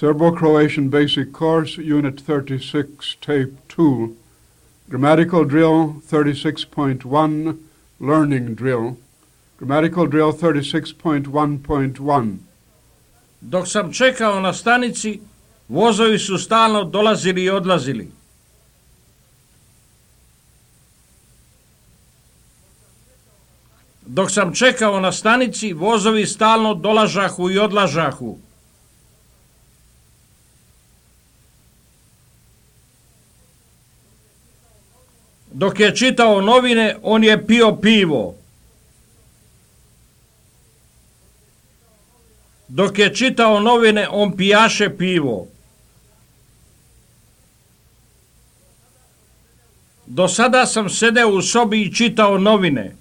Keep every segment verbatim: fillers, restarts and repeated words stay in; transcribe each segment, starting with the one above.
Serbo-Croatian Basic Course, Unit thirty-six, Tape two, Grammatical Drill thirty-six point one, Learning Drill, Grammatical Drill thirty-six point one point one. Dok sam čekao na stanici, vozovi su stalno dolazili i odlazili. Dok sam čekao na stanici, vozovi stalno dolažahu i odlažahu. Dok je čitao novine, on je pio pivo. Dok je čitao novine, on pijaše pivo. Do sada sam sedeo u sobi i čitao novine.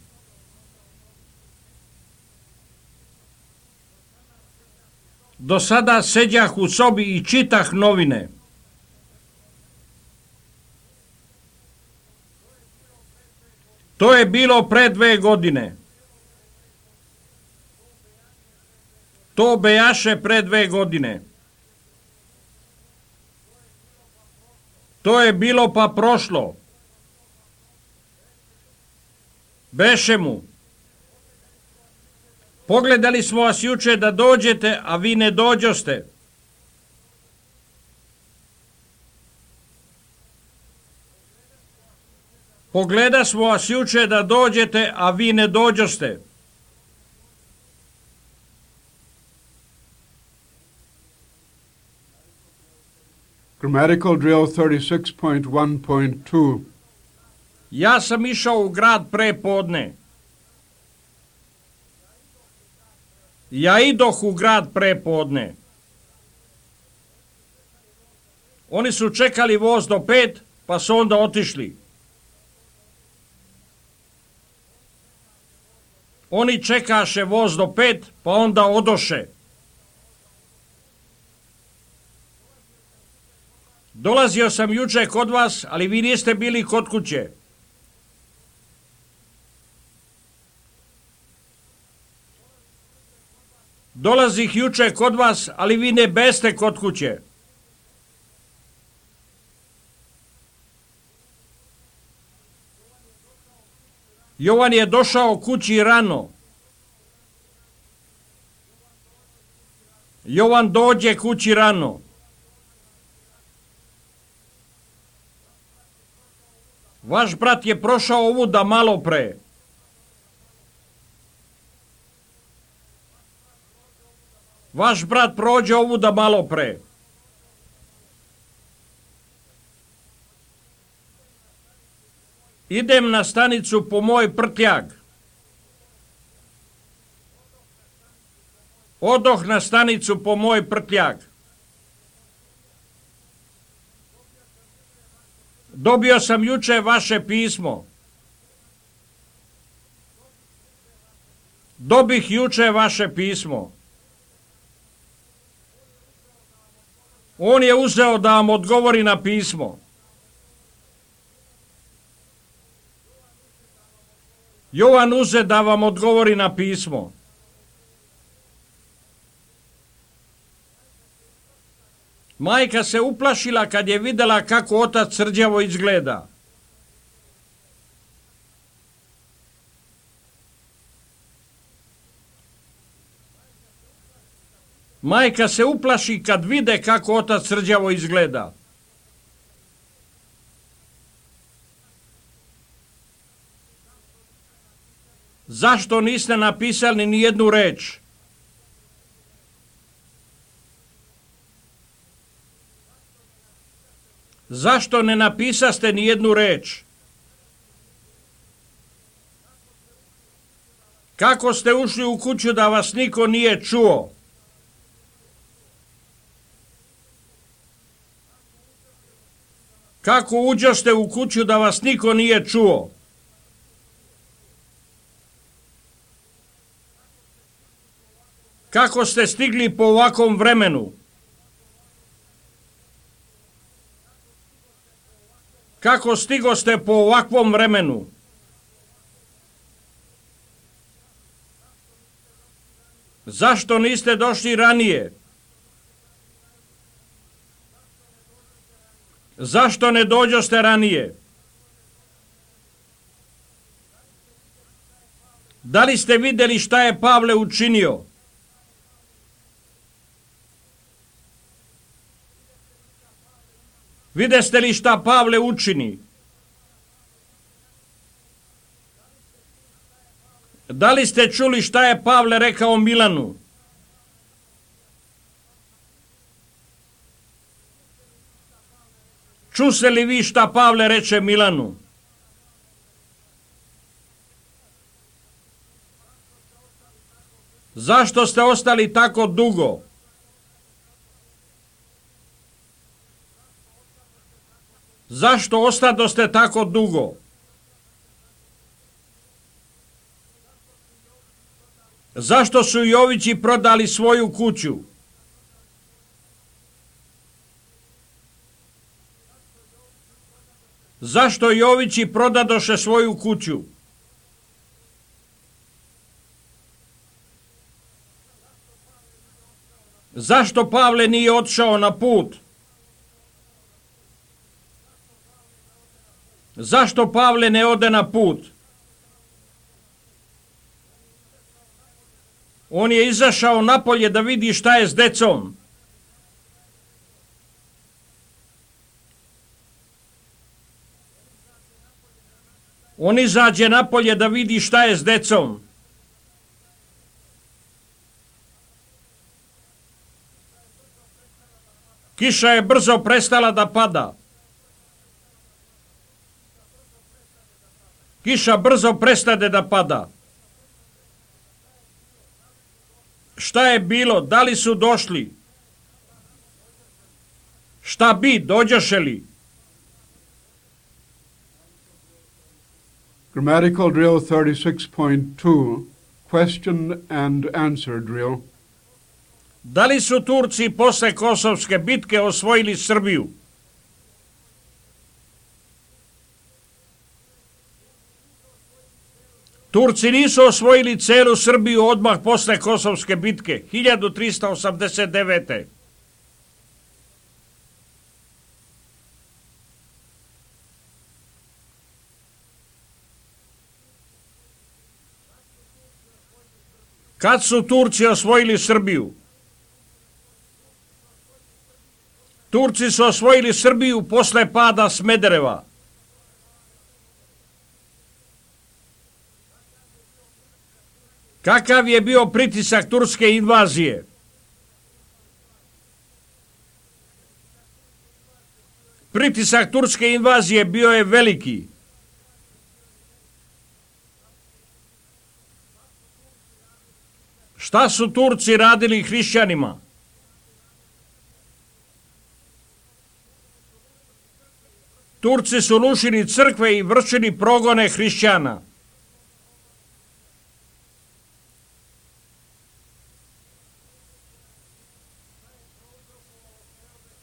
Do sada seđah u sobi i čitah novine. To je bilo pre dve godine. To bejaše pre dve godine. To je bilo pa prošlo. Beše mu. Pogledali smo vas juče da dođete, a vi ne dođoste. Pogleda smo vas juče da dođete, a vi ne dođoste. Grammatical Drill thirty-six point one point two. Ja sam išao u grad pre podne. Ja idoh u grad pre podne. Oni su čekali voz do pet, pa su onda otišli. Oni čekaše voz do pet, pa onda odoše. Dolazio sam juče kod vas, ali vi niste bili kod kuće. Dolazih juče kod vas, ali vi ne beste kod kuće. Jovan je došao kući rano. Jovan dođe kući rano. Vaš brat je prošao ovuda malo pre. Vaš brat prođe ovuda malo pre. Idem na stanicu po moj prtljag. Odoh na stanicu po moj prtljag. Dobio sam juče vaše pismo. Dobih juče vaše pismo. On je uzeo da vam odgovori na pismo. Jovan uze da vam odgovori na pismo. Majka se uplašila kad je videla kako otac srđavo izgleda. Majka se uplaši kad vide kako otac srđavo izgleda. Zašto niste napisali ni jednu reč? Zašto ne napisaste ni jednu reč? Kako ste ušli u kuću da vas niko nije čuo? Kako uđoste u kuću da vas niko nije čuo? Kako ste stigli po ovakvom vremenu? Kako stigoste po ovakvom vremenu? Zašto niste došli ranije? Zašto ne dođoste ranije? Da li ste vidjeli šta je Pavle učinio? Videste li šta Pavle učini? Da li ste čuli šta je Pavle rekao Milanu? Čuse li vi šta Pavle reče Milanu? Zašto ste ostali tako dugo? Zašto ostadoste tako dugo? Zašto su Jovići prodali svoju kuću? Zašto Jovići prodadoše svoju kuću? Zašto Pavle nije otišao na put? Zašto Pavle ne ode na put? On je izašao napolje da vidi šta je s decom. On izađe napolje da vidi šta je s decom. Kiša je brzo prestala da pada. Kiša brzo prestade da pada. Šta je bilo? Da li su došli? Šta bi? Dođoše li? Grammatical drill thirty-six point two, question and answer drill. Da li su Turci posle Kosovske bitke osvojili Srbiju? Turci nisu osvojili celu Srbiju odmah posle Kosovske bitke, hiljadu trista osamdeset devete. Kad su Turci osvojili Srbiju? Turci su osvojili Srbiju posle pada Smedereva. Kakav je bio pritisak turske invazije? Pritisak turske invazije bio je veliki. Šta su Turci radili hrišćanima? Turci su rušili crkve i vršili progone hrišćana.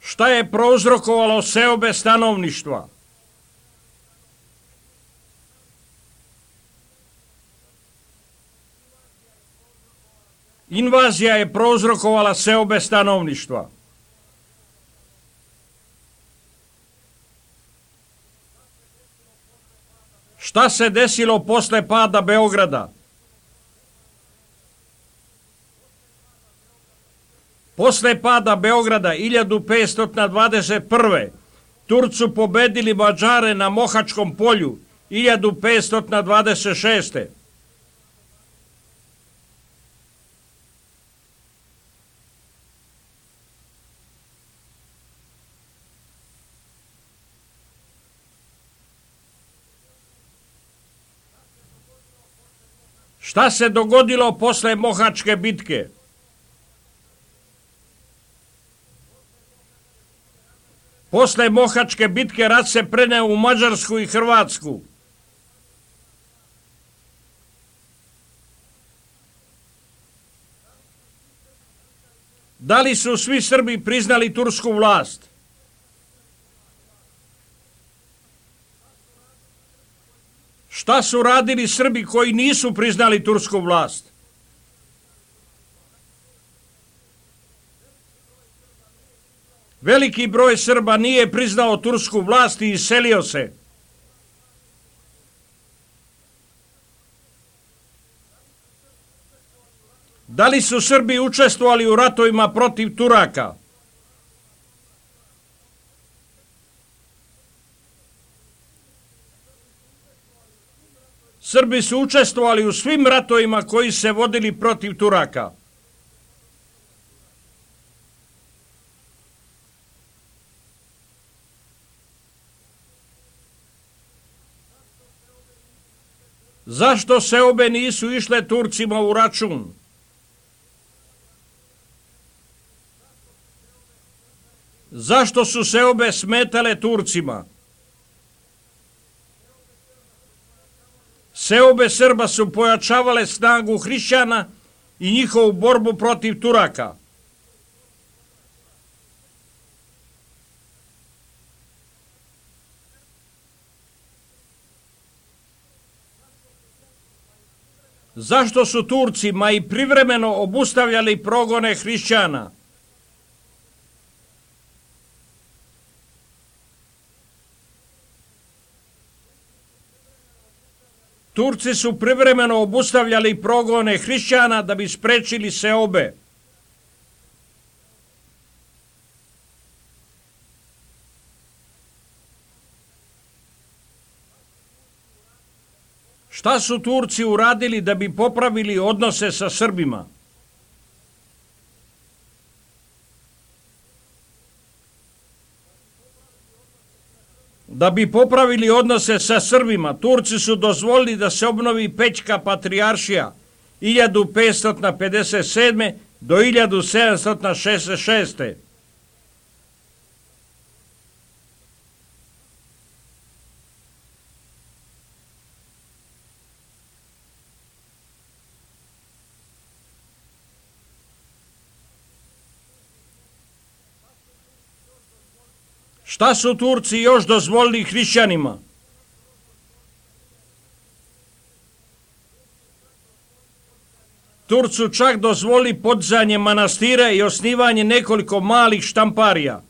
Šta je prouzrokovalo seobe stanovništva? Invazija je prouzrokovala seobe stanovništva. Šta se desilo posle pada Beograda? Posle pada Beograda hiljadu petsto dvadeset prve. Turci su pobedili Mađare na Mohačkom polju hiljadu petsto dvadeset šeste. Šta se dogodilo posle Mohačke bitke? Posle Mohačke bitke rat se preneo u Mađarsku i Hrvatsku. Da li su svi Srbi priznali tursku vlast? Šta su radili Srbi koji nisu priznali tursku vlast? Veliki broj Srba nije priznao tursku vlast i iselio se. Da li su Srbi učestvovali u ratovima protiv Turaka? Srbi su učestvovali u svim ratovima koji se vodili protiv Turaka. Zašto seobe nisu išle Turcima u račun? Zašto su seobe smetale Turcima? Seobe Srba su pojačavale snagu hrišćana i njihovu borbu protiv Turaka. Zašto su Turcima i privremeno obustavljali progone hrišćana? Turci su privremeno obustavljali progone hrišćana da bi sprečili seobe. Šta su Turci uradili da bi popravili odnose sa Srbima? Da bi popravili odnose sa Srbima, Turci su dozvolili da se obnovi Pećka patrijaršija hiljadu petsto pedeset sedme do hiljadu sedamsto šezdeset šeste. Šta su Turci još dozvolili hrišćanima? Turci su čak dozvolili podizanje manastira i osnivanje nekoliko malih štamparija.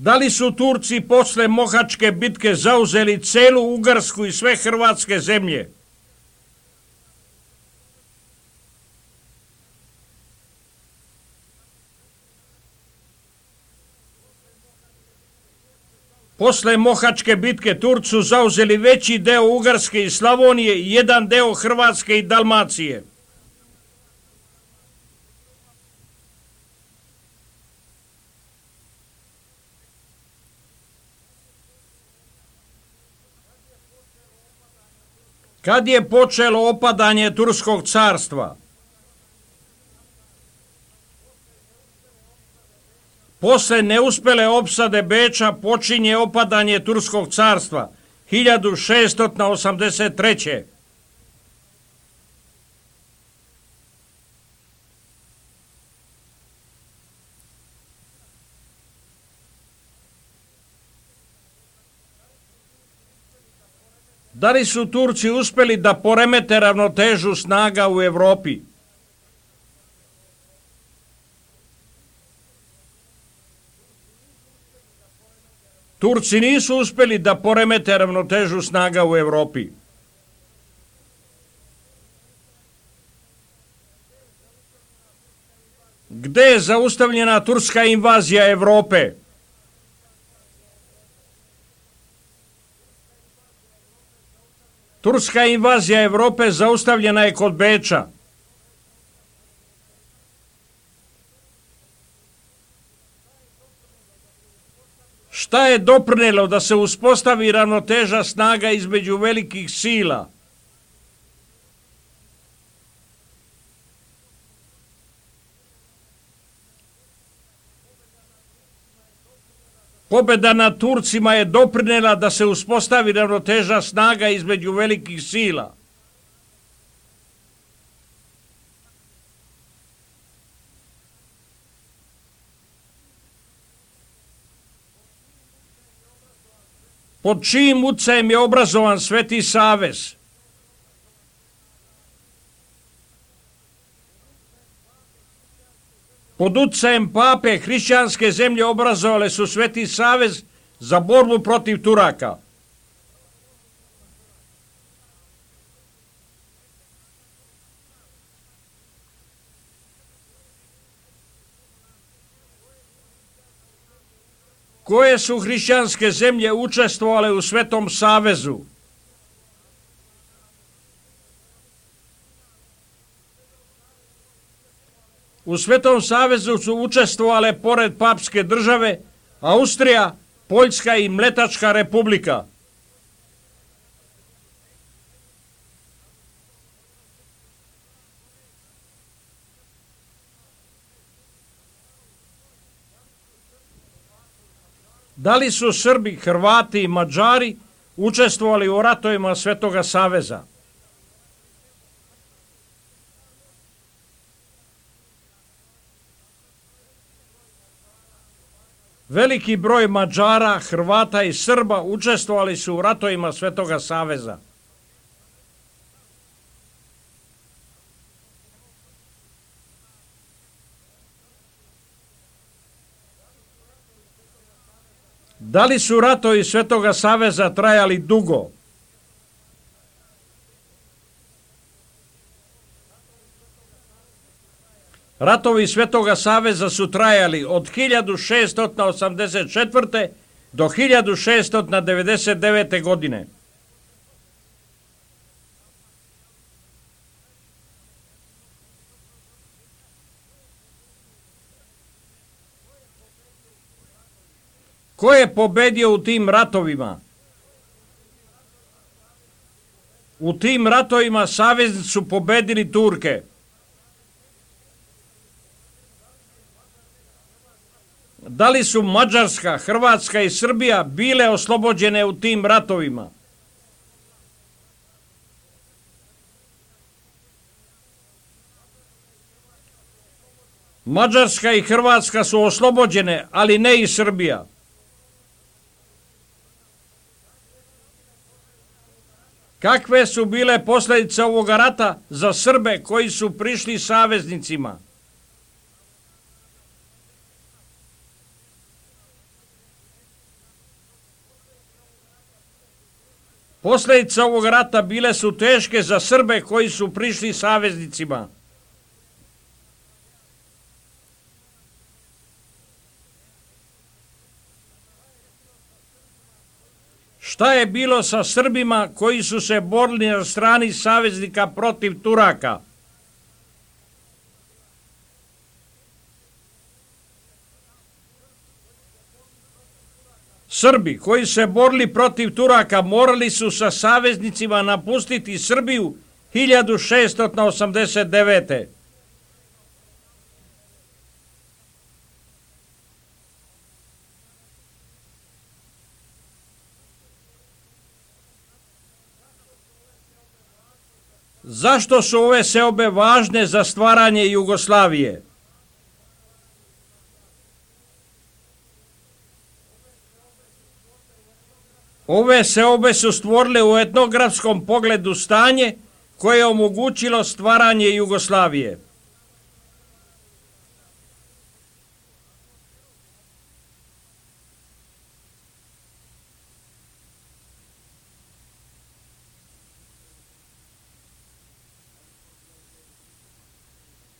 Da li su Turci posle Mohačke bitke zauzeli celu Ugarsku i sve hrvatske zemlje? Posle Mohačke bitke Turci su zauzeli veći deo Ugarske i Slavonije i jedan deo Hrvatske i Dalmacije. Kad je počelo opadanje Turskog carstva? Posle neuspele opsade Beča počinje opadanje Turskog carstva hiljadu šessto osamdeset treće. Da li su Turci uspeli da poremete ravnotežu snaga u Evropi? Turci nisu uspeli da poremete ravnotežu snaga u Evropi. Gde je zaustavljena turska invazija Evrope? Turska invazija Evrope zaustavljena je kod Beča. Šta je doprinelo da se uspostavi ravnoteža snaga između velikih sila? Pobjeda nad Turcima je doprinela da se uspostavi ravnoteža snaga između velikih sila. pod čijim utjecajem je obrazovan Sveti Savez. Pod utjecajem pape hrišćanske zemlje obrazovale su Sveti Savez za borbu protiv Turaka. Koje su hrišćanske zemlje učestvovale u Svetom Savezu? U Svetom Savezu su učestvovale pored papske države Austrija, Poljska i Mletačka republika. Da li su Srbi, Hrvati i Mađari učestvovali u ratovima Svetoga Saveza? Veliki broj Mađara, Hrvata i Srba učestvovali su u ratovima Svetoga Saveza. Da li su ratovi Svetoga Saveza trajali dugo? Ratovi Svetoga Saveza su trajali od hiljadu šeststo osamdeset četvrte do hiljadu šeststo devedeset devete. godine. Ko je pobedio u tim ratovima? U tim ratovima saveznici su pobedili Turke. Da li su Mađarska, Hrvatska i Srbija bile oslobođene u tim ratovima? Mađarska i Hrvatska su oslobođene, ali ne i Srbija. Kakve su bile posljedice ovoga rata za Srbe koji su prišli saveznicima? Posljedice ovog rata bile su teške za Srbe koji su prišli saveznicima. Šta je bilo sa Srbima koji su se borili na strani saveznika protiv Turaka? Srbi koji su se borili protiv Turaka morali su sa saveznicima napustiti Srbiju hiljadu šeststo osamdeset devete. Zašto su ove seobe važne za stvaranje Jugoslavije? Ove seobe su stvorile u etnografskom pogledu stanje koje je omogućilo stvaranje Jugoslavije.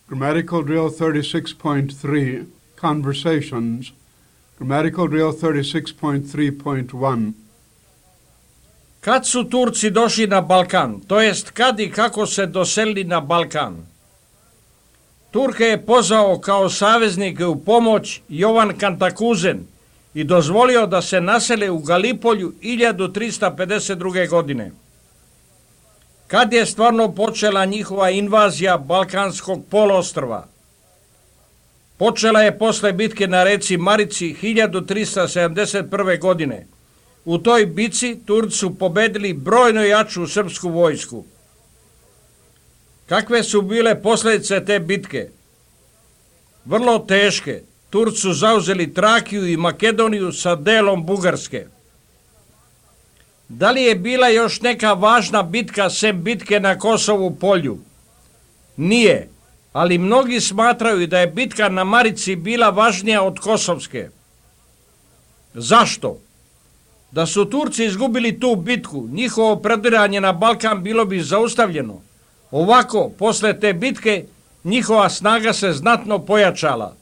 Grammatical drill thirty-six point three, conversations. Grammatical drill thirty-six point three point one. Kad su Turci došli na Balkan, to jest kad i kako se doselili na Balkan? Turke je pozvao kao saveznike u pomoć Jovan Kantakuzen i dozvolio da se nasele u Galipolju hiljadu trista pedeset druge. godine. Kad je stvarno počela njihova invazija Balkanskog poluostrva? Počela je posle bitke na reci Marici hiljadu trista sedamdeset prve. godine. U toj bitci Turci su pobedili brojno jaču srpsku vojsku. Kakve su bile posljedice te bitke? Vrlo teške. Turci su zauzeli Trakiju i Makedoniju sa delom Bugarske. Da li je bila još neka važna bitka sem bitke na Kosovu polju? Nije, ali mnogi smatraju da je bitka na Marici bila važnija od Kosovske. Zašto? Da su Turci izgubili tu bitku, njihovo prediranje na Balkan bilo bi zaustavljeno. Ovako, posle te bitke, njihova snaga se znatno pojačala.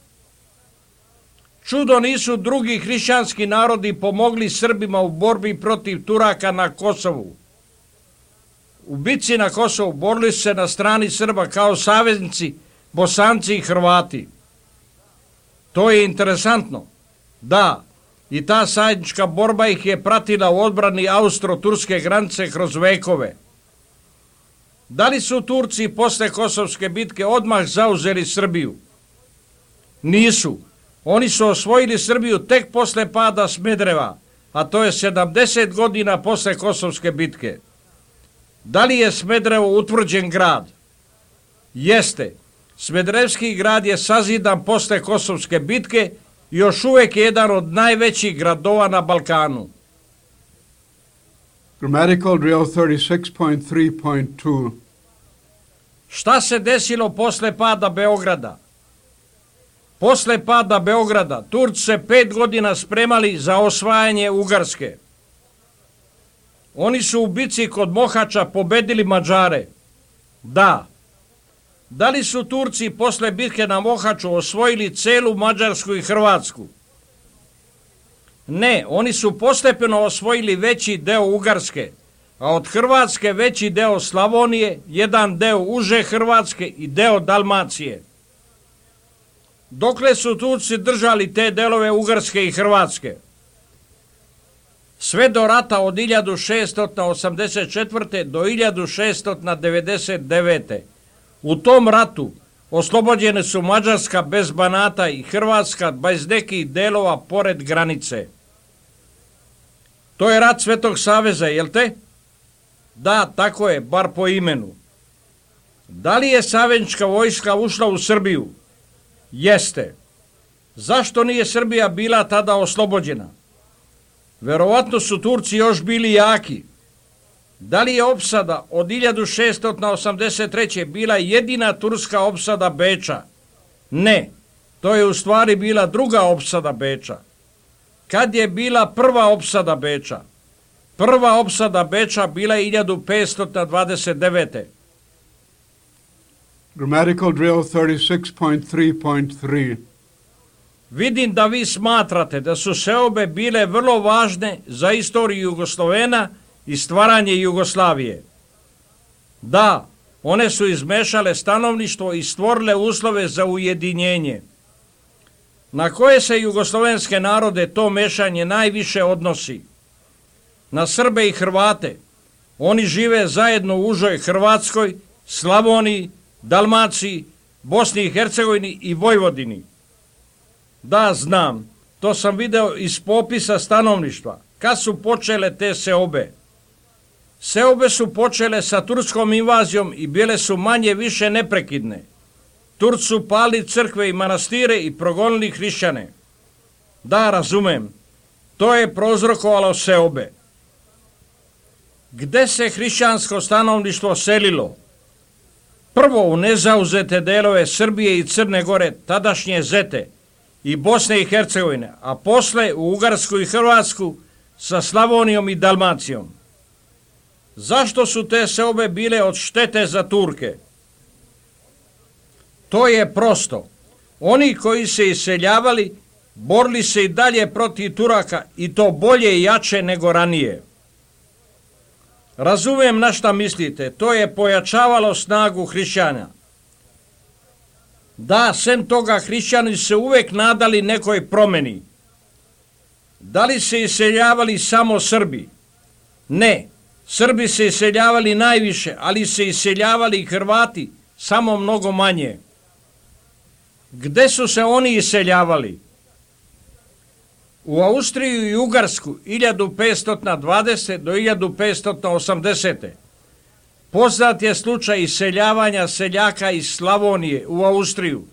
Čudo nisu drugi hrišćanski narodi pomogli Srbima u borbi protiv Turaka na Kosovu. U bitci na Kosovu borili su se na strani Srba kao saveznici, Bosanci i Hrvati. To je interesantno. Da, i ta zajednička borba ih je pratila u odbrani austro-turske granice kroz vekove. Da li su Turci posle Kosovske bitke odmah zauzeli Srbiju? Nisu. Oni su osvojili Srbiju tek posle pada Smedereva, a to je sedamdeset godina posle Kosovske bitke. Da li je Smederevo utvrđen grad? Jeste. Smederevski grad je sazidan posle Kosovske bitke i još uvek je jedan od najvećih gradova na Balkanu. Grammatical drill thirty-six point three point two. Šta se desilo posle pada Beograda? Posle pada Beograda, Turci se pet godina spremali za osvajanje Ugarske. Oni su u bici kod Mohača pobedili Mađare. Da. Da li su Turci posle bitke na Mohaču osvojili celu Mađarsku i Hrvatsku? Ne, oni su postepeno osvojili veći deo Ugarske, a od Hrvatske veći deo Slavonije, jedan deo uže Hrvatske i deo Dalmacije. Dokle su Turci držali te delove Ugarske i Hrvatske? Sve do rata od hiljadu šeststo osamdeset četvrte do hiljadu šeststo devedeset devete. U tom ratu oslobođene su Mađarska bez Banata i Hrvatska bez nekih delova pored granice. To je rat Svetog saveza, jel te? Da, tako je, bar po imenu. Da li je saveznička vojska ušla u Srbiju? Jeste. Zašto nije Srbija bila tada oslobođena? Verovatno su Turci još bili jaki. Da li je opsada od hiljadu šeststo osamdeset treće bila jedina turska opsada Beča? Ne, to je u stvari bila druga opsada Beča. Kad je bila prva opsada Beča? Prva opsada Beča bila je hiljadu petsto dvadeset devete. Grammatical drill thirty-six point three point three. Vidim da vi smatrate da su seobe bile vrlo važne za istoriju Jugoslovena i stvaranje Jugoslavije. Da, one su izmešale stanovništvo i stvorile uslove za ujedinjenje. Na koje se jugoslovenske narode to mešanje najviše odnosi? Na Srbe i Hrvate. Oni žive zajedno u užoj Hrvatskoj, Slavoniji, Dalmaciji, Bosni i Hercegovini i Vojvodini. Da, znam, to sam video iz popisa stanovništva. Kad su počele te seobe? Seobe su počele sa turskom invazijom i bile su manje više neprekidne. Turci su pali crkve i manastire i progonili hrišćane. Da, razumem, to je prouzrokovalo seobe. Gde se hrišćansko stanovništvo selilo? Prvo u nezauzete delove Srbije i Crne Gore, tadašnje Zete, i Bosne i Hercegovine, a posle u Ugarsku i Hrvatsku sa Slavonijom i Dalmacijom. Zašto su te seobe bile od štete za Turke? To je prosto. Oni koji se iseljavali, borili se i dalje protiv Turaka i to bolje i jače nego ranije. Razumem na šta mislite, to je pojačavalo snagu hrišćana. Da, sem toga hrišćani se uvek nadali nekoj promeni. Da li se iseljavali samo Srbi? Ne, Srbi se iseljavali najviše, ali se iseljavali i Hrvati, samo mnogo manje. Gde su se oni iseljavali? U Austriju i Ugarsku hiljadu petsto dvadesete do hiljadu petsto osamdesete. Poznat je slučaj iseljavanja seljaka iz Slavonije u Austriju,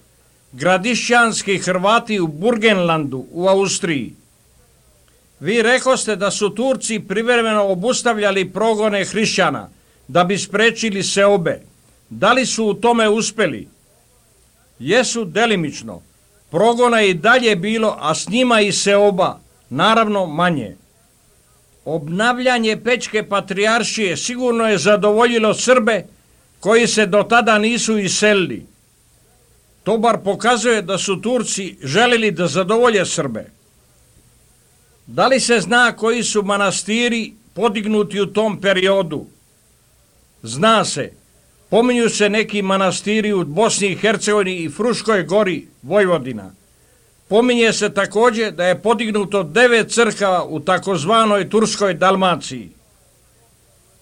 gradišćanski Hrvati u Burgenlandu u Austriji. Vi rekoste da su Turci privremeno obustavljali progone hrišćana da bi sprečili seobe. Da li su u tome uspeli? Jesu delimično. Progona je i dalje bilo, a s njima i seoba, naravno manje. Obnavljanje Pećke patrijaršije sigurno je zadovoljilo Srbe koji se do tada nisu iselili. To bar pokazuje da su Turci želili da zadovolje Srbe. Da li se zna koji su manastiri podignuti u tom periodu? Zna se. Pominju se neki manastiri u Bosni i Hercegovini i Fruškoj gori, Vojvodina. Pominje se također da je podignuto devet crkava u takozvanoj Turskoj Dalmaciji.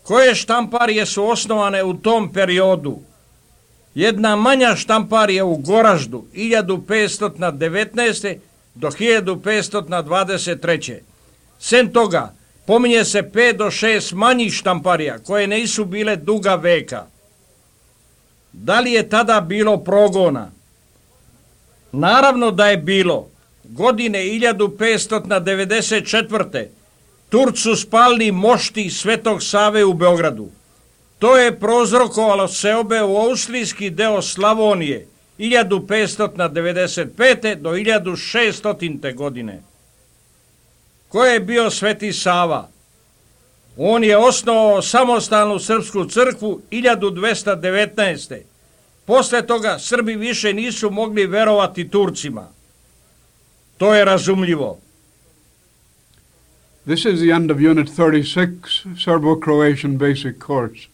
Koje štamparije su osnovane u tom periodu? Jedna manja štamparija u Goraždu hiljadu petsto devetnaeste. do hiljadu petsto dvadeset treće. Sem toga, pominje se pet do šest manjih štamparija koje nisu bile duga veka. Da li je tada bilo progona? Naravno da je bilo. Godine hiljadu petsto devedeset četvrte. Turci su spalili mošti Svetog Save u Beogradu. To je prouzrokovalo seobe u austrijski deo Slavonije hiljadu petsto devedeset pete. do hiljadu šeststote. godine. Ko je bio Sveti Sava? On je osnovao samostalnu srpsku crkvu hiljadu dvesta devetnaeste. Posle toga Srbi više nisu mogli verovati Turcima. To je razumljivo. This is the end of Unit thirty-six, Serbo-Croatian Basic Course.